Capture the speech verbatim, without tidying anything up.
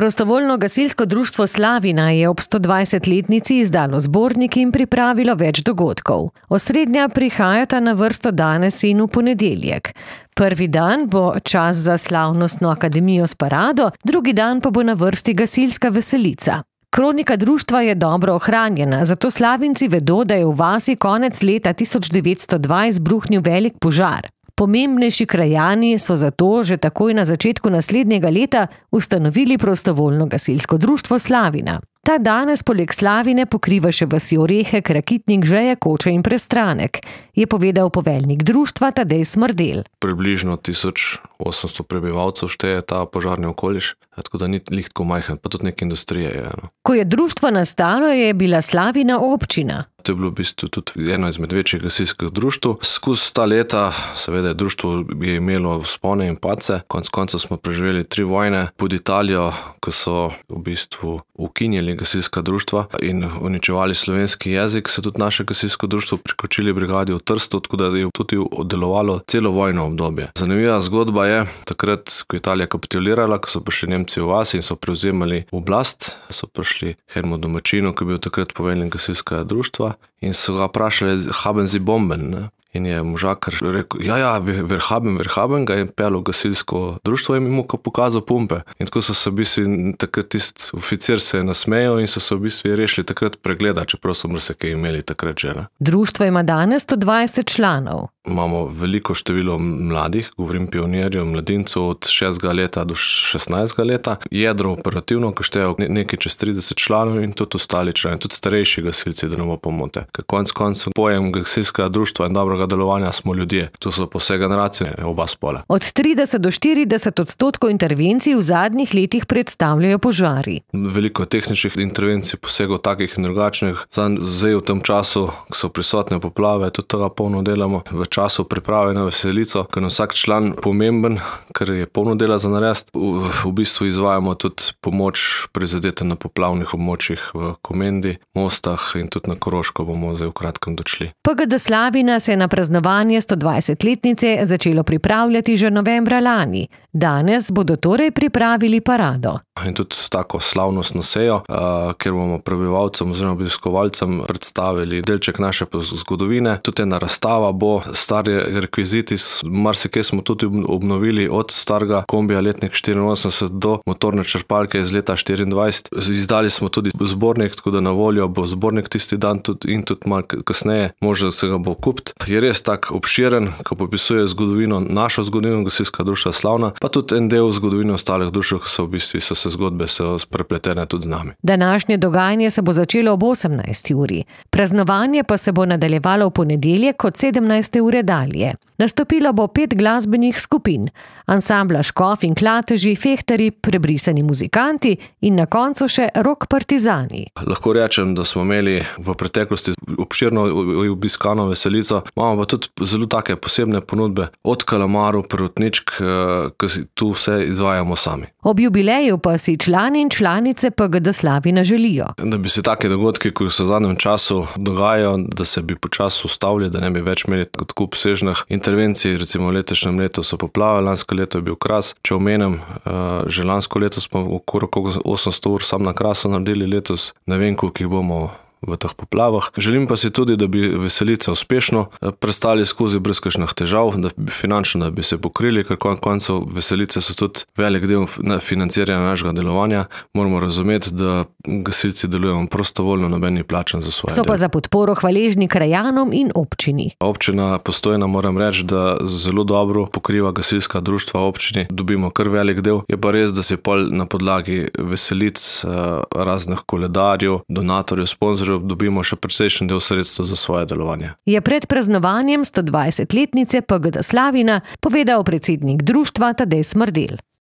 Prostovoljno gasilsko društvo Slavina je ob stodvajsetletnici izdalo zbornik in pripravilo več dogodkov. Osrednja prihajata na vrsto danes in v ponedeljek. Prvi dan bo čas za slavnostno akademijo s parado, drugi dan pa bo na vrsti gasilska veselica. Kronika društva je dobro ohranjena, zato Slavinci vedo, da je v vasi konec leta tisoč devetsto dva izbruhnil velik požar. Pomembnejši krajani so zato že takoj na začetku naslednjega leta ustanovili prostovoljno gasilsko društvo Slavina. Ta danes poleg Slavine pokriva še vasi Orehek, Rakitnik, Žeje, Koče in Prestranek, je povedal poveljnik društva Tadej Smrdelj. Približno tisoč osemsto prebivalcev šteje ta požarni okoliš, tako da ni lihtko majhen, pa tudi neke industrije je. No. Ko je društvo nastalo, je bila Slavina občina. To je bilo v bistvu tudi eno izmed večjih gasilskih društv. Skozi ta leta, seveda, društvo je imelo vzpone in padce. Konec koncev smo preživeli tri vojne pod Italijo, ko so v bistvu ukinjali gasilska društva in uničevali slovenski jezik, so tudi naše gasilsko društvo prikočili brigadi v Trstu, tako da je tudi delovalo celo vojno obdobje. Zanimiva zgodba je, takrat, ko je Italija kapitulirala, ko so prišli Nemci v vas in so prevzemali oblast, so prišli Hermo Domačinu, ki je bil takrat poveljnik gasilskega društva, in so ga vprašali, haben Sie Bomben, ne? In je možakar rekel, ja, ja, wir haben, wir haben, ga je peljal gasilsko društvo in mu pokazal pumpe. In tako so se v bistvu, takrat tisti oficir se je nasmejal in so se v bistvu rešili takrat pregleda, čeprav so marsikaj imeli takrat že. Ne? Društvo ima danes sto dvajset članov. Imamo veliko število mladih, govorim pionirjev, mladincev od šestega leta do šestnajstega leta. Jedro operativno, ko štejo nekaj čez trideset članov in tudi ostali člani, tudi starejši gasilci, da ne bo pomote. Ker konc koncev pojem gasilskega društva in dobrega delovanja smo ljudje. To so po vse generacije, oba spola. Od trideset do štirideset odstotkov intervencij v zadnjih letih predstavljajo požari. Veliko tehničnih intervencij, posegov takih in drugačnih. Zdaj v tem času, ko so prisotne poplave, tudi tega polno delamo. V času priprave na veselico, ker je vsak član pomemben, ker je polno dela za narediti. V, v bistvu izvajamo tudi pomoč prizadete na poplavnih območjih v Komendi, Mostah in tudi na Koroško bomo zdaj v kratkem došli. P G D Slavina se je na praznovanje sto dvajsetletnice začelo pripravljati že novembra lani. Danes bodo torej pripravili parado. In tudi tako slavnostno sejo, uh, kjer bomo prebivalcem oziroma obiskovalcem predstavili delček naše zgodovine. Tudi ena razstava bo, stari rekviziti, marsikaj smo tudi obnovili, od starega kombija letnik štiriinosemdeset do motorne črpalke iz leta štiriindvajset. Izdali smo tudi zbornik, tako da na voljo bo zbornik tisti dan tudi in tudi malo kasneje, možno se ga bo kupiti. Je res tak obširen, ko popisuje zgodovino, našo zgodovino gasilskega društva Slavna, pa tudi en del zgodovine ostalih društev, ki so v bistvu so se zgodbe so prepletene tudi z nami. Današnje dogajanje se bo začelo ob osemnajsti uri. Praznovanje pa se bo nadaljevalo v ponedeljek od sedemnajste ure dalje. Nastopilo bo pet glasbenih skupin, ansambla Škof in Klateži, fehtarji, prebrisani muzikanti in na koncu še rock partizani. Lahko rečem, da smo imeli v preteklosti obširno obiskano veselico, imamo pa tudi zelo take posebne ponudbe, od kalamarov, protničk, ki tu vse izvajamo sami. Ob jubileju pa si člani in članice P G D Slavina želijo, da bi se take dogodki, ki se v zadnjem času dogajajo, da se bi počasi ustavili, da ne bi več imeli tako obsežnih intervencij. Recimo v letošnjem letu so poplave, lansko leto je bil Kras. Če omenim, že lansko leto smo okrog osemsto ur sam na Krasu naredili, letos ne vem, koliko jih bomo v teh poplavah. Želim pa si tudi, da bi veselice uspešno prestali skozi brez kakšnih težav, da bi finančno da bi se pokrili, ker konec koncev veselice so tudi velik del financiranja našega delovanja. Moramo razumeti, da gasilci delujemo prostovoljno, noben ni plačan za svoje so delo. Pa za podporo hvaležni krajanom in občini. Občina Postojna, moram reči, da zelo dobro pokriva gasilska društva občini. Dobimo kar velik del. Je pa res, da se pol na podlagi veselic, raznih koledarjev, donatorjev, sponzorjev dobimo še precejšen del sredstev za svoje delovanje. Je pred praznovanjem sto dvajsetletnice P G D Slavina povedal predsednik društva Tadej Smrdelj.